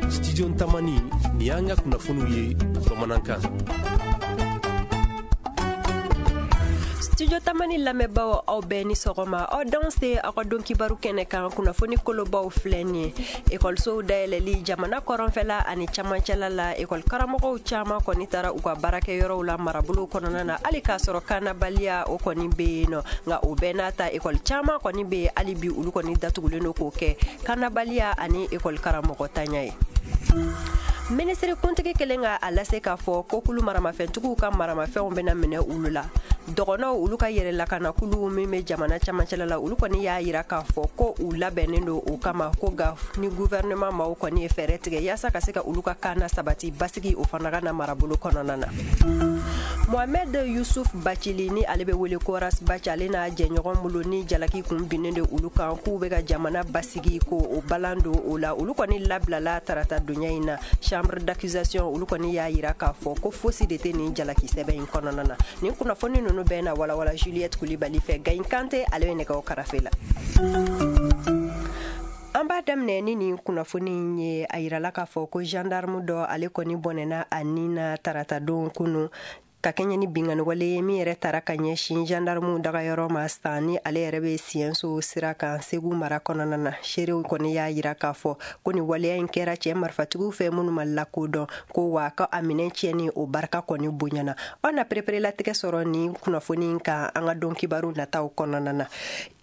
Studio Tamani, nin y'an ka kunnafoniw ye bamanankan. Studio Tamani lamɛnbaaw, aw bɛɛ ni sɔgɔma. Aw danse aw ka don kibaru kɛnɛ kan. Kunnafoni kolobaw filɛ nin ye: ekɔlisow dayɛlɛli jamana kɔrɔnfɛla ani camancɛla la, ekɔli karamɔgɔw caman kɔni taara u ka baarakɛyɔrɔw la marabolow kɔnɔna na, hali k'a sɔrɔ kanabaliya o kɔni bɛ yen nɔ. Nka o bɛɛ n'a ta, ekɔli caman kɔni bɛ yen hali bi, olu kɔni datugulen don k'o kɛ kanabaliya ani ekɔli karamɔgɔ tanya ye. Minisiri kuntigi kelen ka a lase k'a fɔ ko kulu maramafɛntigiw ka maramafɛnw bɛna minɛ olu la. Dɔgɔnɔw olu ka yɛrɛ lakanakulu min bɛ jamana camancɛla la, olu kɔni y'a yira k'a fɔ ko u labɛnnen don o kama, ko nka ni gouvernement maaw kɔni ye fɛɛrɛ tigɛ yaasa ka se ka olu ka kana sabati, basigi o fana ka na marabolo kɔnɔna na. Mohamed Yusuf Bacili, ni ale bɛ wele ko Ras Bath, ale n'a jɛɲɔgɔn bolo ni jalaki kun binnen de olu kan k'u bɛ ka jamana basigi ko o balan don o la, olu kɔni labilala tarata donya in na. Chambre d'accusation olu kɔni y'a yira k'a fɔ ko fosi de tɛ nin jalaki sɛbɛn in kɔnɔna na. Nin kunnafoni ninnu bɛɛ na walawala Juliette Kulibali fɛ. Gayin Kante, ale bɛ nɛgɛw karafe la. An b'a daminɛ ni nin kunnafoni in ye. A yirala k'a fɔ ko gendarme dɔ, ale kɔni bɔnɛna a ni na taratadon kunu ka kɛɲɛ ni binkanniwale ye min yɛrɛ tara ka ɲɛsin gendarmew dagayɔrɔ ma san ni ale yɛrɛ bɛ Siyɛnso sira kan Segu mara kɔnɔna na. Seerew kɔni y'a yira k'a fɔ ko nin waleya in kɛra cɛ marifatigiw fɛ minnu ma lakodɔn, ko wa ko a minɛn tiɲɛni o barika kɔni bonyana. Aw na pereperelatigɛ sɔrɔ nin kunnafoni in kan an ka don kibaru nataw kɔnɔna na.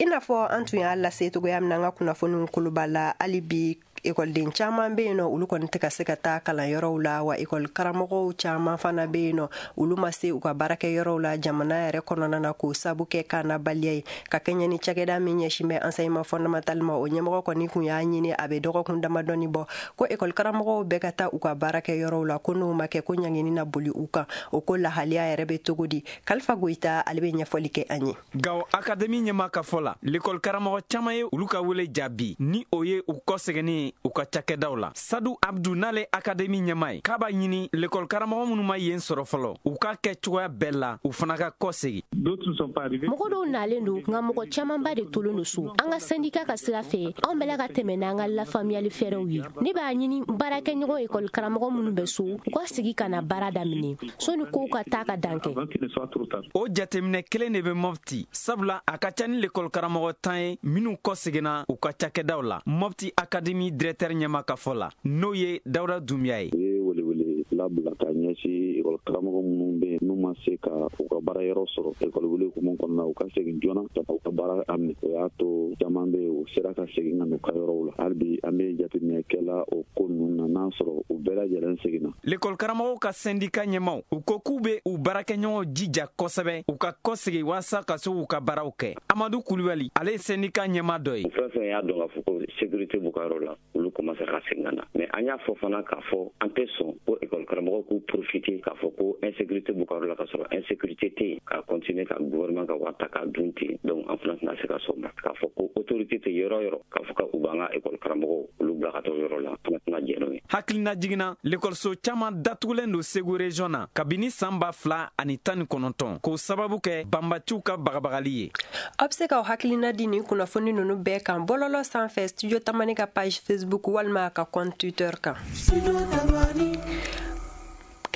I n'a fɔ an tun y'a lase cogoya min na an ka kunnafoniw koloba la, hali bi ekɔliden caman bɛ yen nɔ, olu kɔni tɛ ka se ka taa kalanyɔrɔw la, wa ekɔli karamɔgɔw caman fana bɛ yen nɔ, olu ma se u ka baarakɛyɔrɔw la jamana yɛrɛ kɔnɔna na, k'o sabu kɛ kanabaliya ye. Ka kɛɲɛ ni cakɛda min ɲɛsin bɛ enseignement fondamental ma, o ɲɛmɔgɔ kɔni kun y'a ɲini a bɛ dɔgɔkun damadɔni bɔ ko ekɔli karamɔgɔw bɛɛ ka taa u ka baarakɛyɔrɔw la, ko n'o ma kɛ, ko ɲangini na boli u kan. O ko lahaliya yɛrɛ bɛ cogo di? Kalifa Goyita, ale bɛ ɲɛfɔli kɛ an ye. Gawo akademi ɲɛma ka fɔ la, lekɔli karamɔgɔ caman ye olu ka wele jaabi, ni o ye u kɔsɛgɛnni u ka cakɛdaw la. Sadu Abdu, n'ale akademi ɲɛma ye, k'a b'a ɲini lekɔli karamɔgɔ minnu ma yen sɔrɔ fɔlɔ, u k'a kɛ cogoya bɛɛ la u fana ka kɔsegi. Mɔgɔ dɔw nalen don, nka mɔgɔ camanba de tolen don so. An ka sɛndika ka sira fɛ, anw bɛla ka tɛmɛ n'an ka lafaamuyali fɛɛrɛw ye. Ne b'a ɲini baarakɛɲɔgɔn ekɔli karamɔgɔ minnu bɛ so, u ka sigi ka na baara daminɛ sɔni kow ka taa ka dan kɛ. O jateminɛ kelen de bɛ Mɔpti, sabula a ka ca ni lekɔli karamɔgɔ 10 ye minnu kɔseginna u ka cakɛdaw la. Mɔpti akademi directeur ɲɛma ka fɔ la, n'o ye Dawuda Dunbiya ye, u ye welewele labila ka ɲɛsin ekɔli karamɔgɔ minnu bɛ yen n'u ma se ka u ka baara yɔrɔ sɔrɔ ekɔli wele hukumu kɔnɔna, u ka segin joona ka u ka baara daminɛ. O y'a to caman bɛ yen, u sera ka segin ka n'u ka yɔrɔw la. Hali bi an bɛ jateminɛ kɛla o ko ninnu na, n'a sɔrɔ u bɛɛ lajɛlen seginna. Lekɔli karamɔgɔw ka sɛndika ɲɛmaw, u ko k'u bɛ u baarakɛɲɔgɔnw jija kosɛbɛ u ka kɔsegi walasa ka se k'u ka baaraw kɛ. Amadu Kulubali, ale ye sɛndika ɲɛma dɔ ye. Fɛn fɛn y'a dɔn k'a fɔ ko sécurité b'u ka yɔrɔ la, olu commencé ka segin ka na. Mais an y'a fɔ fana k'a fɔ an tɛ sɔn ko école karamɔgɔw k'u profiter k'a fɔ ko insécurité b'u ka yɔrɔ la, k'a sɔrɔ insécurité tɛ yen, ka continuer ka gouvernement ka wari ta k'a dun ten. Donc an fana tɛna se ka sɔn ma k'a fɔ ko autorité tɛ yɔrɔ yɔrɔ, k'a fɔ k'u b'an ka école karamɔgɔw olu bila ka taa o yɔrɔ la, an fana tɛna jɛn n'o ye. Hakilina jiginna, lekɔliso caman datugulen don Segu région na kabini san 2019, k'o sababu kɛ banbaciw ka bagabagali ye. Aw bɛ se k'aw hakilina di nin kunnafoni ninnu bɛɛ kan bɔlɔlɔ sanfɛ, Studio Tamani ka page Facebook walima ka compte Twitter kan.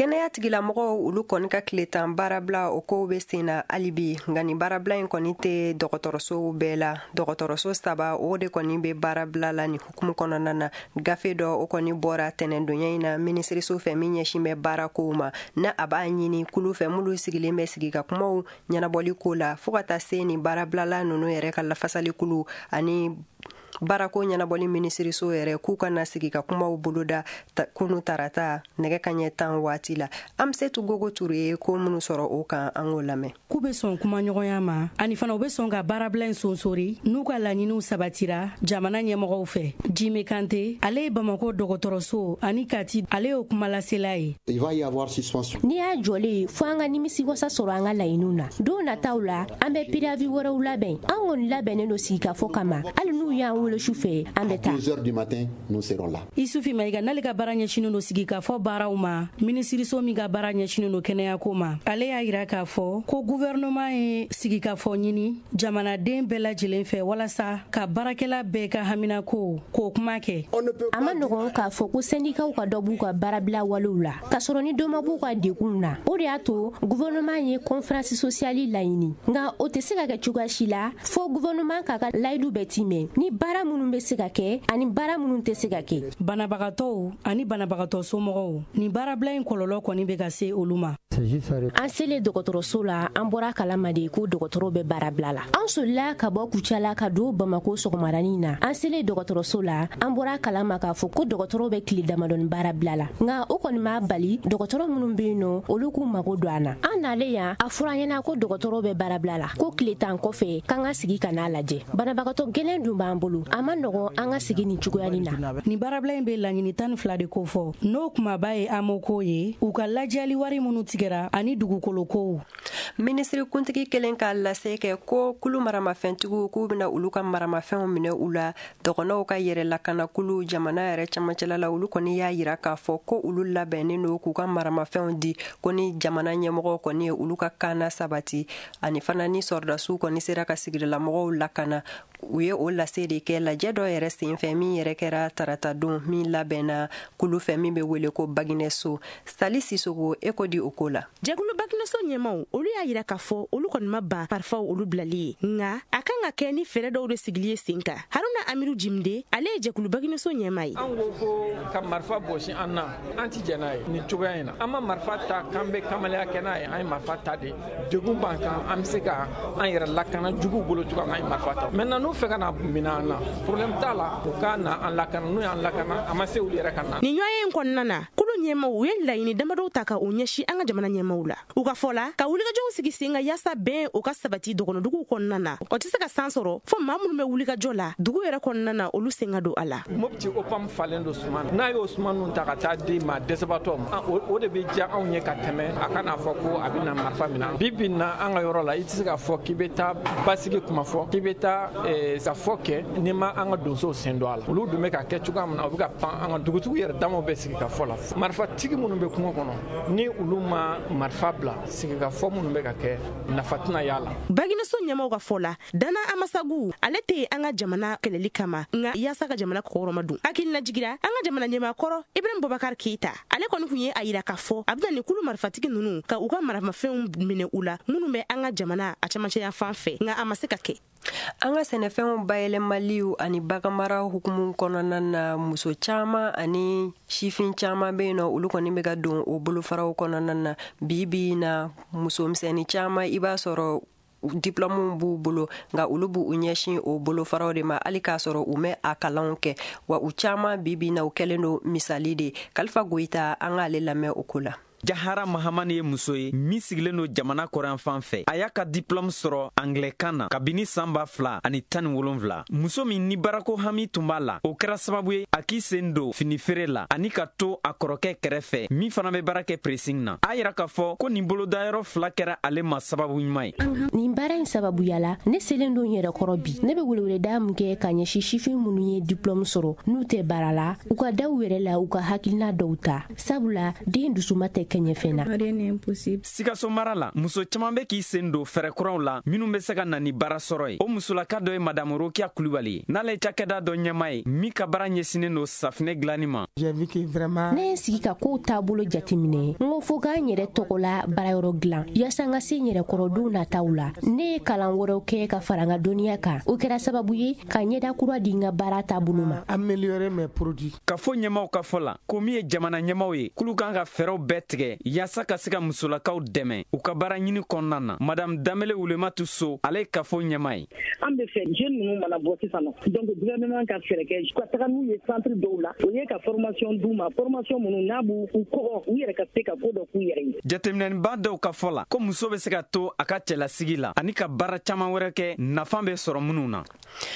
Kɛnɛya tigilamɔgɔw olu kɔni ka tile 10 baarabila, o kow bɛ sen na hali bi. Nka nin baarabila in kɔni tɛ dɔgɔtɔrɔsow bɛɛ la. Dɔgɔtɔrɔso saba, o de kɔni bɛ baarabila la nin hukumu kɔnɔna na. Gafe dɔ, o kɔni bɔra tɛnɛndonya in na minisiriso fɛ min ɲɛsin bɛ baarakow ma, na a b'a ɲini kulu fɛ minnu sigilen bɛ sigi ka kumaw ɲɛnabɔli ko la, fo ka taa se nin baarabilala ninnu yɛrɛ ka lafasali kulu ani baarako ɲɛnabɔli minisiriso yɛrɛ, k'u ka na sigi ka kumaw boloda kunu tarata nɛgɛ kaɲɛ 10 waati la. An bɛ se Gogo Ture ye ko minnu sɔrɔ o kan, an k'o lamɛn. K'u bɛ sɔn kumaɲɔgɔnya ma, ani fana u bɛ sɔn ka baarabila in sonsori n'u ka laɲiniw sabatira jamana ɲɛmɔgɔw fɛ. Jime Kante, ale ye Bamakɔ dɔgɔtɔrɔso ani Kati, ale y'o kumalasela ye. N'i y'a jɔlen ye, fo an ka nimisi wasa sɔrɔ an ka laɲiniw na. Don nataw la, an bɛ préavis wɛrɛw labɛn. An kɔni labɛnnen don sigikafɔ kama, hali n'u y'an wele. wele su fɛ, an bɛ taa. 2 heures du matin, nous serons là. Isufi Mayiga, n'ale ka baara ɲɛsinnen don sigikafɔ baaraw ma, minisiriso min ka baara ɲɛsinnen don kɛnɛyako ma, ale y'a yira k'a fɔ ko gouvernement ye sigikafɔ ɲini jamanaden bɛɛ lajɛlen fɛ walasa ka baarakɛla bɛɛ ka haminako k'o kuma kɛ. A ma nɔgɔn k'a fɔ ko sɛndikaw ka dɔ b'u ka baarabila walew la, k'a sɔrɔ ni dɔ ma b'u ka degunw na. O de y'a to gouvernement ye conférence sociale laɲini, nka o tɛ se ka kɛ cogoya si la fo gouvernement k'a ka layidu bɛɛ timɛ ni baara minnu bɛ se ka kɛ ani baara minnu tɛ se ka kɛ. Banabagatɔw ani banabagatɔ somɔgɔw, nin baarabila in kɔlɔlɔ kɔni bɛ ka se olu ma. An selen dɔgɔtɔrɔso la, an bɔra kalama de ko dɔgɔtɔrɔw bɛ baarabila la. An solila ka bɔ Kucala ka don Bamako sɔgɔmadanin na. An selen dɔgɔtɔrɔso la, an bɔra kalama k'a fɔ ko dɔgɔtɔrɔw bɛ tile damadɔni baarabila la, nka o kɔni m'a bali dɔgɔtɔrɔ minnu bɛ yen nɔ, olu k'u mago don an na. An nalen yan, a fɔra an ɲɛna ko dɔgɔtɔrɔw bɛ baarabila la, ko tile 10 kɔfɛ k'an ka sigi ka n'a lajɛ. Banabagatɔ gɛlɛn dun b'an bolo, a ma nɔgɔn an ka sigi nin cogoya nin na. Nin baarabila in bɛ laɲini 12 de kofɔ, n'o kumaba ye AMO ye, u ka lajɛli wari minnu tigɛra ani dugukolo kow. Minisiri kuntigi kelen ka lase kɛ ko kulu maramafɛntigiw k'u bɛna olu ka maramafɛnw minɛ u la. Dɔgɔnɔw ka yɛrɛ lakanakulu jamana yɛrɛ camancɛla la, olu kɔni y'a yira k'a fɔ ko olu labɛnnen don k'u ka maramafɛnw di, ko ni jamana ɲɛmɔgɔw kɔni ye olu ka kana sabati, ani fana ni sɔrɔdasiw kɔni sera ka sigidalamɔgɔw lakana. U ye o lase de kɛ lajɛ dɔ yɛrɛ senfɛ min yɛrɛ kɛra taratadon min labɛnna kulu fɛ min bɛ wele ko Baginɛso. Sali Sisogo, e ko di o ko la. Jɛkulu Baginɛso ɲɛmaw, olu y'a yira k'a fɔ olu kɔni ma ban parifaw olu bilali ye, nka a kan ka kɛ ni fɛɛrɛ dɔw de sigili ye sen kan. Haruna Amiru Jimde, ale ye jɛkulu Baginɛso ɲɛma ye. An ko ko ka marifa bɔsi an na, an ti jɛn n'a ye nin cogoya in na. An ma marifa ta k'an bɛ kamalenya kɛ n'a ye, an ye marifa ta de degun b'an kan, an bɛ se ka an yɛrɛ lakana juguw bolo cogoya min, an ye marifa ta. Maintenant n'u fɛ ka na minɛ an na, problème t'a la, u ka na an lakana, n'u y'an lakana, a ma se olu yɛrɛ ka na. Nin ɲɔgɔn in kɔnɔna na, kulu ɲɛmaw u ye laɲini damadɔw ta ka o ɲɛsin an ka jamana ɲɛmaw la. U ka fɔ la, ka wulikajɔw sigi sen kan yaasa bɛn o ka sabati dɔgɔnɔduguw kɔnɔna na. O tɛ se ka san sɔrɔ fo maa minnu bɛ wulikajɔ la dugu yɛrɛ kɔnɔna na, olu sen ka don a la. Mopti OPAM falen don suman na, n'a y'o suman ninnu ta ka taa di maa dɛsɛbaatɔ ma, o de bɛ diya anw ye ka tɛmɛ a kana fɔ ko a bɛ na marifa minɛ. Bi bi in na, an ka yɔrɔ la, i tɛ se k'a fɔ k'i bɛ taa basigi kuma fɔ, k'i bɛ taa ka fɔ kɛ n'i ma an ka donsow sen don a la. Olu dun bɛ ka kɛ cogoya min na, u bɛ ka pan an ka dugutigiw yɛrɛ damaw bɛ sigi ka fɔ la. Marifatigi minnu bɛ kungo kɔnɔ, ni olu ma marifa bila, sigikafɔ minnu bɛ ka kɛ, nafa tɛna y'a la. Baginɛso ɲɛmaw ka fɔ la, Dana Amasagu ale tɛ an ka jamana kɛlɛli kama, nka yaasa ka jamana kɔkɔrɔma don. Hakilina jigira an ka jamana ɲɛmaakɔrɔ Ibrahim Boubacar Keita, ale kɔni tun ye a yira k'a fɔ a bɛna nin kulu marifatigi ninnu ka u ka maramafɛnw minɛ u la minnu bɛ an ka jamana a camancɛya fan fɛ, nka a ma se ka kɛ. An ka sɛnɛfɛnw bayɛlɛmaliw ani baganmara hukumu kɔnɔna na, muso caman ani sifin caman bɛ yen nɔ, olu kɔni bɛ ka don o bolofaraw kɔnɔna na. Bi bi in na, musomisɛnnin caman i b'a sɔrɔ diplɔmuw b'u bolo, nka olu b'u ɲɛsin o bolofaraw de ma hali k'a sɔrɔ u mɛ a kalanw kɛ. Wa u caman bi bi in na, u kɛlen don misali de. Kalifa Goyita, an k'ale lamɛn o ko la. Jahara Mahamani ye muso ye min sigilen don jamana kɔrɔnfan fɛ. A y'a ka diplɔmu sɔrɔ anglɛkan na kabini san 2017. Muso min ni baarako hami tun b'a la, o kɛra sababu ye a k'i sen don finifeere la ani ka to a kɔrɔkɛ kɛrɛfɛ min fana bɛ baara kɛ pressing na. A yira k'a fɔ ko nin bolodayɔrɔ fila kɛra ale ma sababu ɲuman ye. Nin baara in sababuya la, ne selen don yɛrɛ kɔrɔ bi. Ne bɛ weleweleda min kɛ ka ɲɛsin sifin minnu ye diplɔmu sɔrɔ n'u tɛ baara la, u ka da u yɛrɛ la, u ka hakilina dɔw ta, sabula den dusuma tɛ kɛɲɛfɛn na. Sikaso mara la, muso caman bɛ k'i sen don fɛɛrɛ kuraw la minnu bɛ se ka na ni baara sɔrɔ ye. O musolaka dɔ ye Madamu Rokiya Kulubali ye, n'ale ye cakɛda dɔ ɲɛmaa ye min ka baara ɲɛsinnen don safinɛ dilanni ma. Ne ye sigi ka kow taabolo jateminɛ, n ko fo k'an yɛrɛ tɔgɔ la baarayɔrɔ dilan yaasa n ka se n yɛrɛ kɔrɔ don nataw la. Ne ye kalan wɛrɛw kɛ ka fara n ka dɔnniya kan, o kɛra sababu ye ka ɲɛda kura di n ka baara taabolo ma. Ka fɔ ɲɛmaw ka fɔ la, ko min ye jamana ɲɛmaw ye, k'olu kan ka fɛɛrɛw bɛɛ tigɛ yaasa ka se ka musolakaw dɛmɛ u ka baara ɲini kɔnɔna na. Madame Danbele Wulematu So, ale ye kafo ɲɛma ye. An bɛ fɛ jeune ninnu mana bɔ sisan nɔ, donc gouvernement ka fɛɛrɛ kɛ ka taga n'u ye centre dɔw la, o ye ka formation d'u ma, formation minnu n'a b'u kɔgɔ u yɛrɛ ka se ka ko dɔ k'u yɛrɛ ye. Jateminɛniba dɔw ka fɔ la, ko muso bɛ se ka to a ka cɛlasigi la ani ka baara caman wɛrɛ kɛ nafa bɛ sɔrɔ minnu na.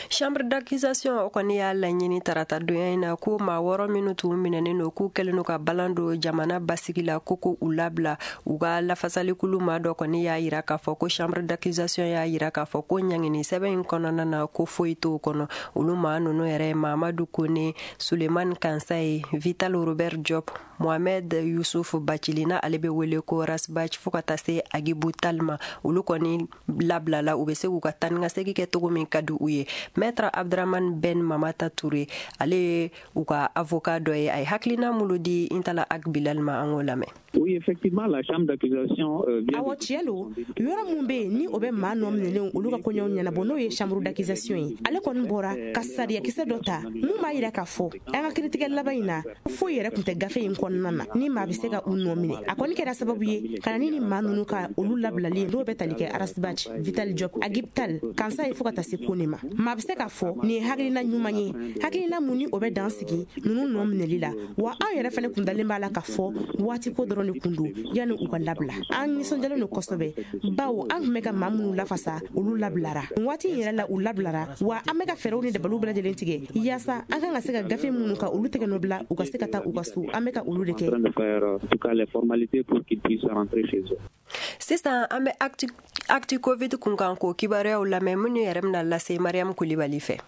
Chambre d'accusation o kɔni y'a laɲini tarata donya in na ko maa 6 minnu tun minɛnen don k'u kɛlen don ka balan don jamana basigi la, ko ko u labila. U ka lafasalikulu maa dɔ kɔni y'a yira k'a fɔ ko chambre d'accusation y'a yira k'a fɔ ko ɲangini sɛbɛn in kɔnɔna na, ko foyi t'o kɔnɔ. Olu maa ninnu yɛrɛ: Mamadu Kone, Suleiman Kansaye, Vital Robert Diop, Mohamed Yusuf Bacili, na ale bɛ wele ko Rasbach, fo ka taa se Agibu Talma. Olu kɔni labilala, u bɛ se k'u ka taa ni ka segin kɛ cogo min ka di u ye. Maître Abdraman Ben Mamata Touré, ale ye u ka avocat dɔ ye, a ye hakilina minnu di Intala Ag Bilal ma, an k'o lamɛn. Oui, effectivement, la chambre d'accusation vient. Awɔ, tiɲɛ don. Yɔrɔ mun bɛ yen ni o bɛ maa nɔ minɛlenw olu ka koɲɛw ɲɛnabɔ, n'o ye chambre d'accusation ye, ale kɔni bɔra ka sariyakisɛ dɔ ta mun b'a yira k'a fɔ an ka kiritigɛ laban in na, foyi yɛrɛ tun tɛ gafe in kɔnɔna na ni maa bɛ se ka u nɔ minɛ. A kɔni kɛra sababu ye ka na ni maa ninnu ka olu labilali ye, n'o bɛ tali kɛ Ras Bath, Vital Diop, Agib Tal, Kansa ye, fo ka taa se Kone ma. Maa bɛ se k'a fɔ nin ye hakilina ɲuman ye, hakilina mun ni o bɛ dan sigi ninnu nɔ minɛli la. Wa anw yɛrɛ fɛnɛ kun dalen b'a la k'a fɔ waati ko dɔrɔn de kun don yanni u ka labila. An nisɔndiyalen don kosɛbɛ, bawo an tun bɛ ka maa minnu lafasa, olu labilara nin waati in yɛrɛ la, u labilara. Wa an bɛ ka fɛɛrɛw ni dabaliw bɛɛ lajɛlen tigɛ yaasa an kan ka se ka gafe minnu ka olu tɛgɛ nɔ bila, u ka se ka taa u ka so. An bɛ ka olu de kɛ. En tout cas, les formalités pour qu'ils puissent rentrer chez eux. Sisan an bɛ Actu Covid kunkan ko kibaruyaw lamɛn, minnu yɛrɛ bɛna lase Mariam Kulibali fɛ.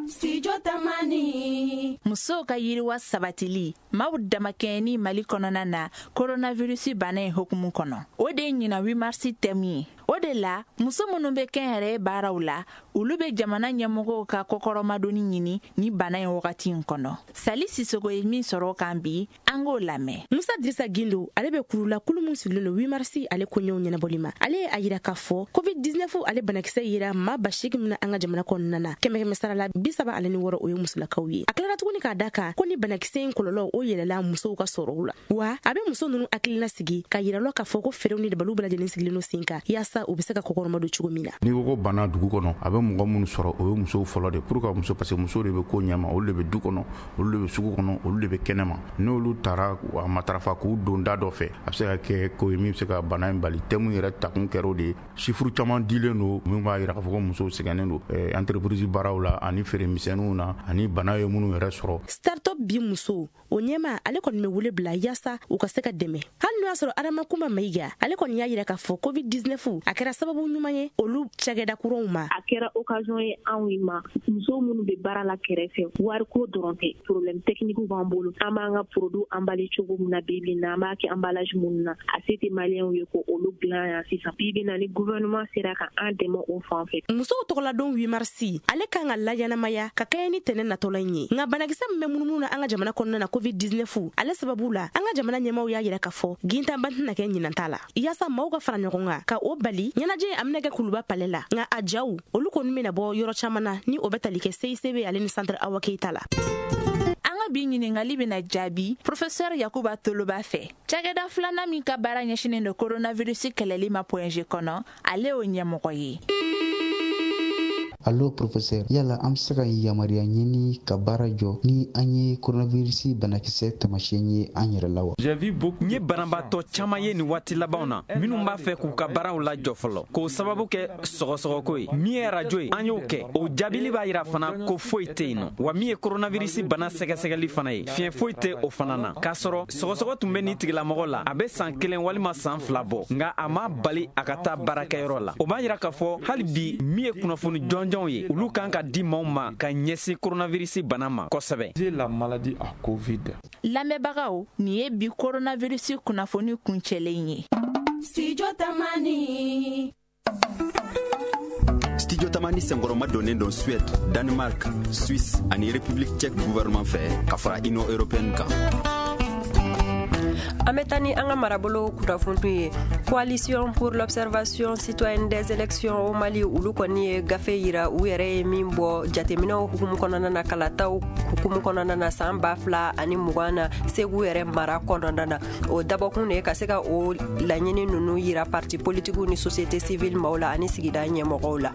Studio Tamani. Musow ka yiriwa sabatili maaw damakɛɲɛni Mali kɔnɔna na, coronavirus bana in hukumu kɔnɔ, o de ye ɲina 8 mars thème ye. O de la, muso minnu bɛ kɛnyɛrɛye baaraw la, olu bɛ jamana ɲɛmɔgɔw ka kɔkɔrɔmadonni ɲini ni bana in wagati in kɔnɔ. Sali Sisogo ye min sɔrɔ o kan bi, an k'o lamɛn. Musa Dirisa Gindo, ale bɛ kurula kulu min sigilen don 8 mars ale koɲɛw ɲɛnabɔli ma, ale ye a yira k'a fɔ COVID-19 ale banakisɛ yera maa 8000 min na an ka jamana kɔnɔna na, kɛmɛ kɛmɛ sara la 36, o ye musolakaw ye. A tilara tuguni k'a da kan ko ni banakisɛ in kɔlɔlɔ o yɛlɛla musow ka sɔrɔw la. Wa a bɛ muso ninnu hakilina sigi ka yira lɔ k'a fɔ ko fɛɛrɛw ni dabaliw bɛɛ lajɛlen sigilen don sen kan yaasa u bɛ se ka kɔkɔrɔma don cogo min na. N'i ko ko bana dugu kɔnɔ, a bɛ mɔgɔ minnu sɔrɔ, o ye musow fɔlɔ de. Pour que muso, parce que musow de bɛ ko ɲɛma, olu de bɛ du kɔnɔ, olu de bɛ sugu kɔnɔ, olu de bɛ kɛnɛma. N'olu taara a matarafa k'u don da dɔ fɛ, a bɛ se ka kɛ ko ye min bɛ se ka bana in bali. Thème yɛrɛ takun kɛra o de ye. Chiffre caman dilen don min b'a yira k'a fɔ ko musow sɛgɛnnen don entreprise baaraw la ani feere misɛnninw na ani bana ye minnu yɛrɛ sɔrɔ. Startup bi muso o ɲɛma, ale kɔni bɛ wele bila yaasa u ka se ka dɛmɛ. Hali n'o y'a sɔrɔ Adama Kuma Mayiga, ale kɔni y'a yira k'a fɔ COVID-19 a kɛra sababu ɲuman ye olu cakɛda kuraw ma. A kɛra occasion ye anw ma, musow minnu bɛ baara la kɛrɛfɛ. Wariko dɔrɔn tɛ, problème technique b'an bolo. An b'an ka produit emballé cogo min na bi bi in na, an b'a kɛ emballage minnu na, a se tɛ maliyɛnw ye ko olu dilan yan sisan. Bi bi in na, ni gouvernement sera ka an dɛmɛ o fan fɛ. Musow tɔgɔladon 8 mars, ale kan ka laɲɛnamaya ka kɛɲɛ ni tɛnɛ natɔla in ye. Nka banakisɛ min bɛ munumunu na an ka jamana kɔnɔna na, COVID-19 ale sababu la, an ka jamana ɲɛmaw y'a yira k'a fɔ gintanba tɛna kɛ ɲinan ta la, yaasa maaw ka fara ɲɔgɔn kan ka o bali. Ɲɛnajɛ a bɛna kɛ Kuluba palais la, nka a jaw olu kɔni bɛna bɔ yɔrɔ caman na, ni o bɛ tali kɛ CICB ale ni centre Awa Keyita la. An ka bi ɲiningali bena jaabi professeur Yakuba Toloba fɛ, cakɛda filanan min ka baara ɲɛsinen don coronavirus kɛlɛli ma Point G kɔnɔ, ale y'o ɲɛmɔgɔ ye. Allo professeur, yala an bɛ se ka yamaruya ɲini ka baara jɔ ni an ye coronavirus banakisɛ taamasiyɛn ye an yɛrɛ la wa? N ye banabaatɔ caman ye nin waati labanw na minnu b'a fɛ k'u ka baaraw lajɔ fɔlɔ k'o sababu kɛ sɔgɔsɔgɔko ye. Min ye arajo ye, an y'o kɛ, o jaabili b'a yira fana ko foyi tɛ yen nɔ. Wa min ye coronavirus bana sɛgɛsɛgɛli fana ye, fiɲɛ foyi tɛ o fana na, k'a sɔrɔ sɔgɔsɔgɔ tun bɛ nin tigilamɔgɔ la a bɛ san 1 walima san 2 bɔ, nka a ma bali a ka taa baarakɛyɔrɔ la. O b'a yira k'a fɔ hali bi, min ye kunnafoni jɔnjɔnw ye, olu kan ka di maaw ma ka ɲɛsin coronavirus bana ma kosɛbɛ. La maladie à Covid. Lamɛnbagaw, nin ye bi coronavirus kunnafoni kuncɛlen ye. Studio Tamani. Studio Tamani senkɔrɔma donnen don Suède, Danemark, Suisse ani République tchèque gouvernement fɛ ka fara Union européenne kan. An bɛ taa ni an ka marabolo kunnafoniw ye. Coalition pour l'observation citoyenne des élections au Mali, olu kɔni ye gafe yira u yɛrɛ ye min bɔ jateminɛw hukumu kɔnɔna na, kalataw hukumu kɔnɔna na san 2020 na Segu yɛrɛ mara kɔnɔna na. O dabɔkun de ye ka se ka o laɲini ninnu yira parti politikiw ni société civile maaw la ani sigida ɲɛmɔgɔw la.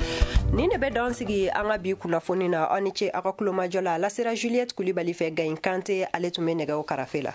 Nin de bɛ dan sigi an ka bi kunnafoni na. Aw ni ce aw ka kulomajɔ la. A lasera Juliette Kulibali fɛ. Gayin Kante, ale tun bɛ nɛgɛw karafe la.